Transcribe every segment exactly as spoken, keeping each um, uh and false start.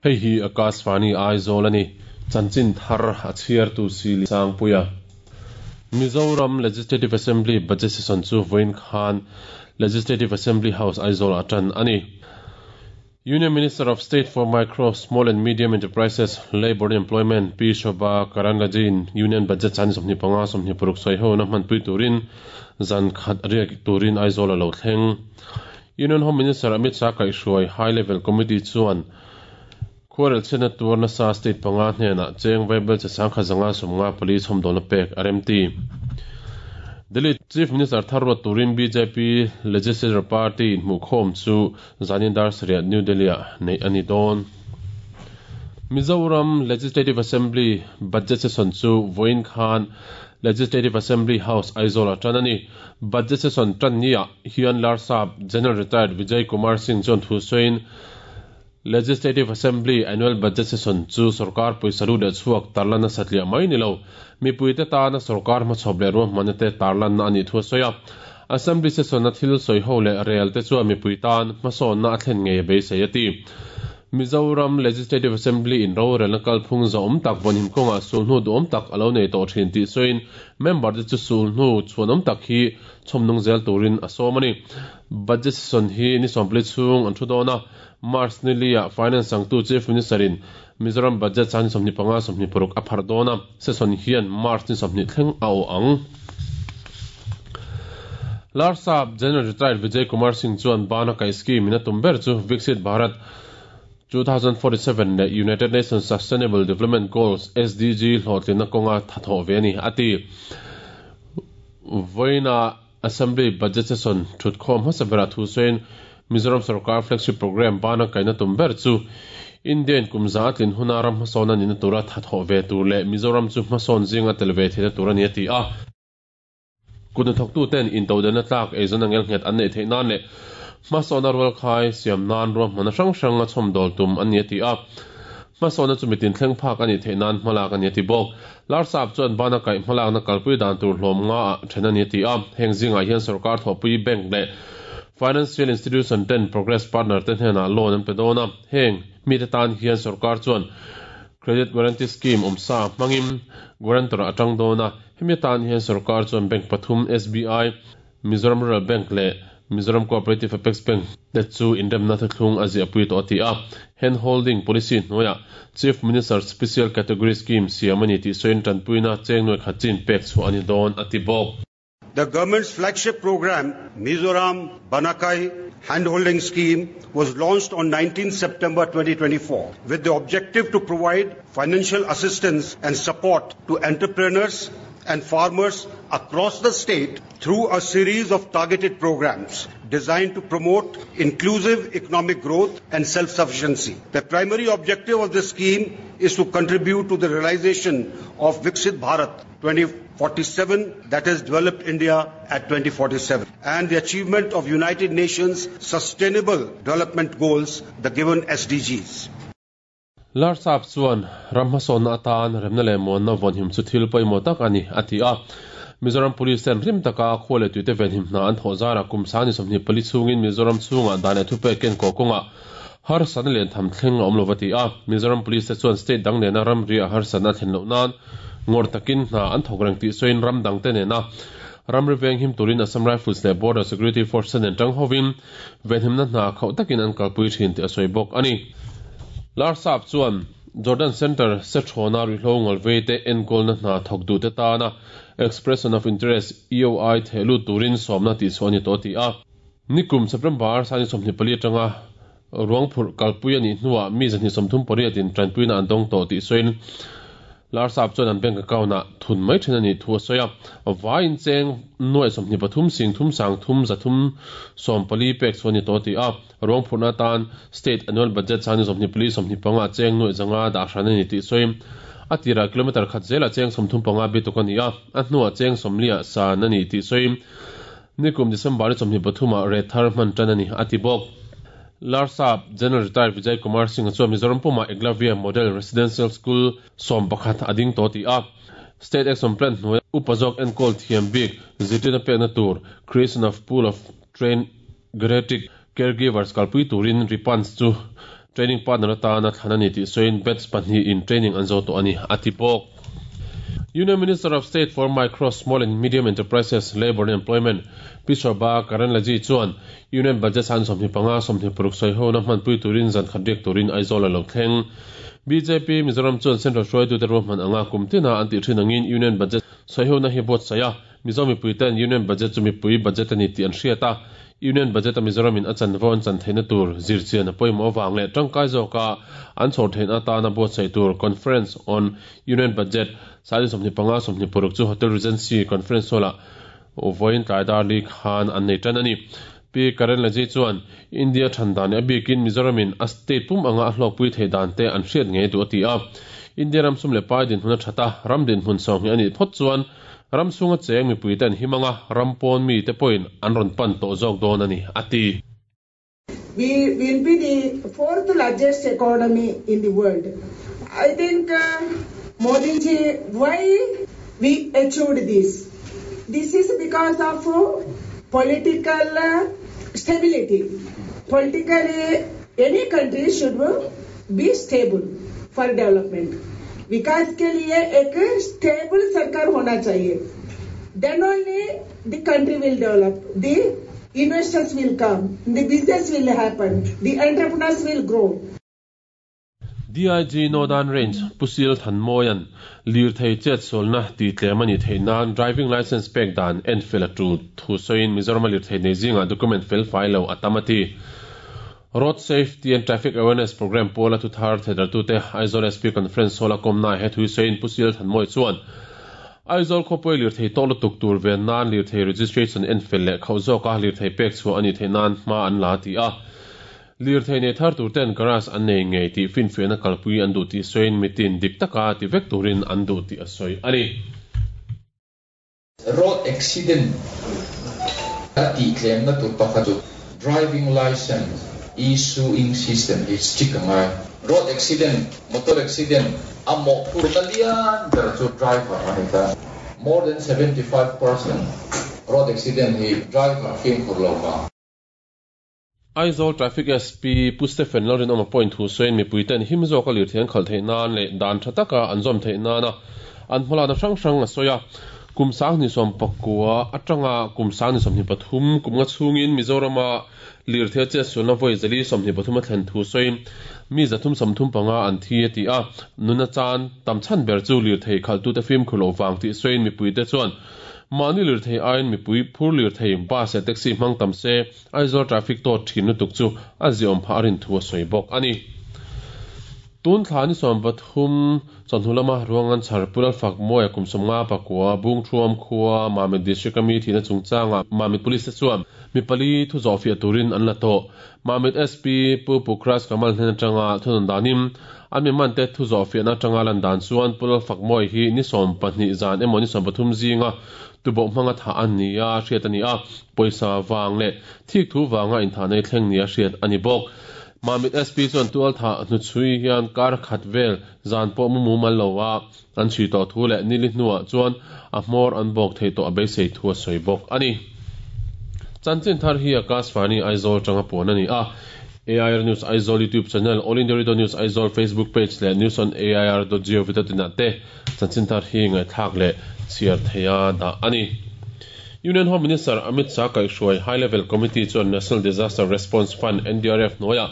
Hei hi Akashvani Aizawl a ni. Chanchin thar a chhiartu si Sangpuia. Mizoram Legislative Assembly Budget Session chu vawiin khan Legislative Assembly House Aizawl atan ani. Union Minister of State for Micro, Small and Medium Enterprises, Labour and Employment P. Shobha Karandlaje Union Budget chan somni panga somni paruk soi ho na hmanpui turin zan khat riak turin Aizawl a lo thleng. Union Home Minister Amit Shah kaihhruai High Level Committee chuan khuarel chhiatna tur nasa state panga hnenah cheng vaibel che sangkhat zanga sawmnga pali chhawmdawlna pek a remti. Delhi Chief Minister Tharwat turin B J P Legislature Party inhmuhkhawm chu zanin dar sarih New Delhi ah nei a ni dawn. Mizoram Legislative Assembly Budget Session chu vawiin khan Legislative Assembly House Aizawl ah tan a ni. Budget Session tan ni ah hian Larsap General Retired Vijay Kumar Singh chuan thu sawiin Legislative Assembly Annual Budget Session chu sarkar pawisa leh chhuak tarlan a satliah mai ni lo. Mipuite tana sarkar hmachhawp leh ruahmanna te tarlan na ani thu a sawi a. Assembly Session a thil sawi ho leh rel te chuan mipui tan hmasawnna a thlen ngei a beisei a ti. Mizoram Legislative Assembly in rorelna kalphung zawm tak vawnhim kawngah sulhnu duhawm tak a lo nei tawh thin tih sawiin member te chu sulhnu chhuanawm tak hi chhawmnung zel turin a sawm a ni. Budget Session hi ni sawmpali chhung an thu dawn a. March ni lia Finance sangtu Chief Minister in Mizoram Budget chan sawmhnih panga sawmhnih paruk a phar dawn a. Session hian March ni sawmhnih thleng a aw ang. Larsap General Retired Vijay Kumar Singh chuan bana kai scheme in a tum ber chu Viksit Bharat twenty forty-seven le United Nations Sustainable Development Goals S D G hlawhtlina kawnga thathawh ve ani ati. Vawiina Assembly Budget Session thutkhawm hmasa berah thu sawiin Mizoram Sarkar Flagship Program bana kaina tum ber chu Indian kumza atlin huna ram hmasawn ani na tura thathawh ve tur leh Mizoram chu hmasawn zinga tel ve theihna tur ani a ti a. Kutna thawktu ten intodelna tlak eizawn angel nghet an nei theih nan leh hmasawna rual khai siam nan ruahmanna hrang hrang a chhawmdawl tum ani a ti a. Hmasawna chu mitin thleng phak ani theih nan hmalak ani a ti bawk. Larsap chuan bana kaih hmalakna kalpui dan tur hlawm nga ah then ani a ti a. Heng zingah hian sarkar thawhpui bank leh Financial Institution ten Progress Partner te hnenah loan an pe dawn a. Heng mi te tan hian sarkar chuan Credit Guarantee Scheme awmsa hmangin guarantor atang dawn a. Hemi tan hian sarkar chuan bank pathum S B I, Mizoram Rural Bank leh Mizoram Cooperative Apex Bank te chu inremna thlung a ziahpui tawh a ti a. Hand holding policy hnuaiah Chief Minister Special Category Scheme siam ani tih sawiin tanpuina cheng nuai khat chin pek chhuah ani dawn a ti bawk. The government's flagship program, Mizoram Banakai Handholding Scheme, was launched on nineteenth September twenty twenty-four with the objective to provide financial assistance and support to entrepreneurs and farmers across the state through a series of targeted programs designed to promote inclusive economic growth and self-sufficiency. The primary objective of this scheme is to contribute to the realization of Viksit Bharat twenty forty-seven, that is Developed India at twenty forty-seven, and the achievement of United Nations Sustainable Development Goals, the given S D Gs. Larsap chuan ram hmasawnna atan remna leh muanna vawnhim chu thil pawimawh tak ani a ti a. Mizoram Police ten rim taka khaw leh tuite venhim hna an thawh zarah kum sani sawmhnih pali chhungin Mizoram chhungah dan leh thupek ken kaw kawngah harsatna leh tham thleng a awm lo a ti a. Mizoram Police te chuan state dang nena ramri a harsatna thlen loh nan ngawr takin hna an thawk reng tih sawiin ram dang te nena ramri venghim turin Assam Rifles leh Border Security Force nen tang hovin venhimna hna khauh takin an kalpui thin tih a sawi bawk ani. Larsap chuan Jordan Center Sethona ruihhlo ngawlvei te enkawlna hna thawk duh te tana Expression of Interest E O I thehlut turin sawmna tih chhuah ani tawh ti a. Nikum September sani sawmhnih pali atanga ruangphurh kalpui ani hnuah mi zahnih sawmthum pariatin tanpuina an dawng tawh tih sawiin Larsap chuan an bank account ah thun mai then ani thu a sawi a. Vaiin cheng nuai sawmhnih pathum sing thum sang thum zathum sawm pali pek chuan ni tawh ti a. Ruangphurhna tan state annual budget sani sawmhnih pali sawmhnih panga cheng nuai zanga dah hran ani tih sawiin a tira kilometer khat zela cheng sawmthum panga bituk ani a. A hnuah cheng sawmliah san ani tih sawiin nikum December sawmhnih pathumah re thar hman tan ani a ti bawk. Larsap General Retired Vijay Kumar Singh chuan Mizoram puma Eklavya Model Residential School sawm pakhat ading tawh ti a. State Action Plan hnuai upazawk enkawl thiam bik zirtirna pekna tur creation of pool of trained geriatric caregivers kalpui turin ripans chu training partner atana thlanani ti soin bets pahnih in training an zo to ani atipok. Union Minister of State for Micro, Small and Medium Enterprises, Labour and Employment, P Shobha Karandlaje chuan Union Budget san sawmhnih panga sawmhnih paruk sawi ho na hmanpui turin zan khat riak turin Aizawl a lo thleng. B J P Mizoram chuan Central hruaitu te ruahman anga kum tina an tih thin angin Union Budget sawi ho na hi buatsaih a. Mizo mipui ten Union Budget chu mipui budget ani tih an hriat a. Union Budget a Mizoram in a chanvo an chan theihna tur zirchian a pawimawh awang leh tangkai zawka an chhawr theihna atana buatsaih tur Conference on Union Budget sani sawmhnih panga sawmhnih paruk chu Hotel Regency Conference Hall-ah vawiin tlai dar li khan an nei tan ani. P Karandlaje chuan India thandan a bikin Mizoram in a state pum anga a hlawkpui thei dan te an hriat ngei du a ti a. India ram sum leh pai din hmun a thata ram din hmun sawng hi ani phawt chuan ram sunga cheng mipui ten himanga ram pawn mi te pawhin an rawn pan tawh zawk dawn ani a ti. We will be the fourth largest economy in the world. I think uh, Modi ji, why we achieved this? This is because of political uh, stability. Politically, any country should be stable for development. विकास के लिए एक stable सरकार होना चाहिए. Then only the country will develop, the investors will come, the business will happen, the entrepreneurs will grow. D I G Northern Range Pusil Thanmoyan lir thei chet solna ti tlemani theinan driving license pek dan en fel tu thu soin Mizoram lir thei nei zinga document fel file lo atamati. Road Safety and Traffic Awareness Program pola tu thar thedar tu te Aizawl S P Conference Hall a komna he thui soin Pusil Thanmoy chuan Aizawl khawpui lir thei tawk lutuk tur ven nan lir thei registration en fel leh khauh zawka lir thei pek chu ani thei nan hma an la ti a. Lir thei nei thar tur ten garage an nei ngei tih finfiahna kalpui an duh tih sawiin mitin dik taka ti vek turin an duh tih a sawi ani. Road accident a tih tlemna tur pakhat chu driving license issuing system hi strict angai. Road accident, motor accident a mawh phurna lian ber chu driver ani ta. More than seventy-five percent road accident hi driver fimkhur lo ma. Aizawl Traffic S P Pu Stephen Lalrin awm a point thu sawiin mipui ten him zawk a lir thei an khalh theih nan leh dan tha taka an zawm theih nana an hmalana hrang hrang a sawi a. Kum sang ni sawm pakua atanga kum sang ni sawmhnih pathum kum nga chhungin Mizorama lir thei che sulna vawi zali sawmhnih pathum a thlen thu sawiin mi zathum sawmthum panga an thi a ti a. Nuna chan tam chhan ber chu lir thei khaltu te fimkhur lo wang tih sawiin mipui te chuan mani lir thei aiin mipui phur lir thei bus leh taxi hmang tam se Aizawl traffic tawt thin lutuk chu a ziawm phah a rin thu a sawi bawk ani. Tun thla ni sawm pathum chawhnu lama ruangan chhar Pulal Fakmawia kum sawmnga pakua Bung Thuam khua Mamit District ami thihna chungchanga Mamit Police te chuan mi pali thu zawh fiah turin an la tawh. Mamit S P Pu Pukras Kamal hnen atanga thunawn danin an mi man te thu zawh fiahna atanga lan dan chuan Pulal Fakmawi hi ni sawm pahnih zan emaw ni sawm pathum zinga tuboh hmanga tha an ni a hriat ani a. Pawisa wang leh thik thu wanga intha nei thleng ni a hriat ani bawk. Mamit S P chuan tual tha hnu chhui hian kar khat vel zan pawh mu mu mal lo a an chhui tawh thu leh nili hnuah chuan a hmawr an bawk thei tawh a beisei thu a sawi bawk ani. Chanchin thar hi Akashvani Aizawl tanga puan ani a. A I R News Aizawl YouTube channel, All India Radio News Aizawl Facebook page leh news on A I R dot gov dot in ah te chanchin thar hi ngaithlak leh chhiar theia dah ani. Union Home Minister Amit Shah kaihhruai High Level Committee chuan National Disaster Response Fund N D R F hnuaiah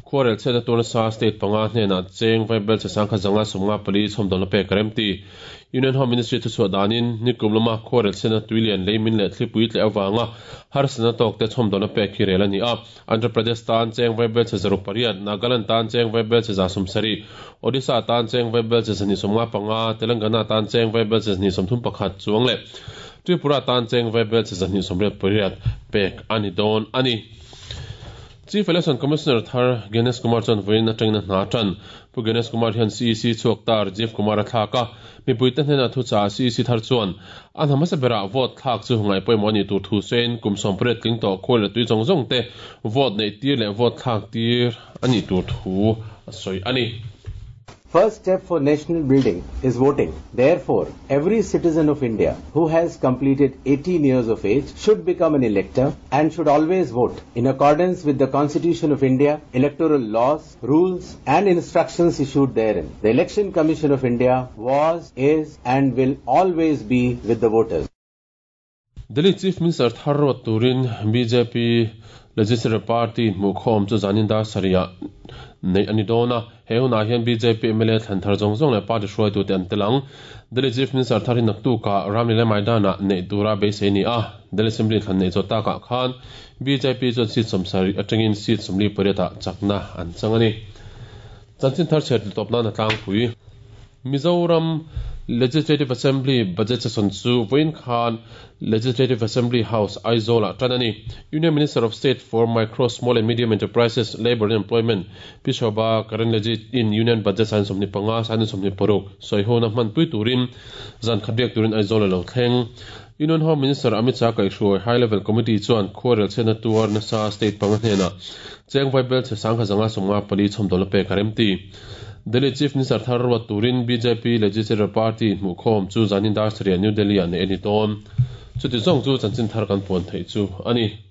khuarel chhiatna turna sa state panga hnenah cheng vaibel che sangkhat zanga sawmnga pali chhawmdawlna pek a rem ti. Union Home Ministry thu chhuah danin nikum lama khuarel chhiatna tuilian leimin leh thlipui tleh awanga harsatna tawk te chhawmdawlna pek hi rel ani a. Andhra Pradesh tan cheng vaibel che zaruk pariat, Nagaland tan cheng vaibel che za sawmsarih, Odisha tan cheng vaibel che zahnih sawmnga panga, Telangana tan cheng vaibel che zahnih sawmthum pakhat chuang leh Tripura tan cheng vaibel che zahnih sawmriat pariat pek ani dawn ani. Chief Election Commissioner Thar Ganesh Kumar chuan vawiin atangin a hna tan. Pu Ganesh Kumar hian C E C chhuak tar Jeff Kumar a thlak a. Mipui te hnenah thu cha C E C thar chuan a hna hmasa berah vote thlak chu ngai pawimawh ani tur thu sawiin kum sawm pariat tling tawh khawi leh tui zawng zawng te vote neih tir leh vote thlak tir ani tur thu a sawi ani. First step for national building is voting. Therefore, every citizen of India who has completed eighteen years of age should become an elector and should always vote in accordance with the Constitution of India, electoral laws, rules and instructions issued therein. The Election Commission of India was, is and will always be with the voters. Delhi Chief Minister thar ruat turin B J P Legislative Party hmuhkhawm chu zanin dar sarih neih ani dawn a. He hunah hian B J P M L A thlan thar zawng zawng leh party hruaitute an tel ang. Delhi Chief Minister thar hi naktuka Ramlila Maidana neih tura beisei ni a. Delhi Assembly thlan neih zawh takah khan B J P chuan seat sawmsarih atangin seat sawmli pariatah chakna an chang ani. Chanchin thar chhiat tawp nan a tlangpui. Mizoram Legislative Assembly budget session chu vawiin khan Legislative Assembly House Aizawl ah tan ani. Union Minister of State for Micro, Small and Medium Enterprises, Labour and Employment Pi Shobha Karandlaje in Union Budget san sawmhnih panga san sawmhnih paruk sawihona hman pui turin zan khat biak turin Aizawl a lo thleng. Union Home Minister Amit Shah kaihhruai High Level Committee chuan khuarel chhiatna tuar nasa state panga hnenah cheng vaibel chhe sangkhat zanga sawmnga pali chhawmdawl a pek a remti. Delhi Chief Minister thar ruat turin B J P Legislative Party hmuhkhawm chu zanin dar sarih New Delhi ah neih ani dawn. Chuti zawng chu chanchin thar kan puan theih chu ani.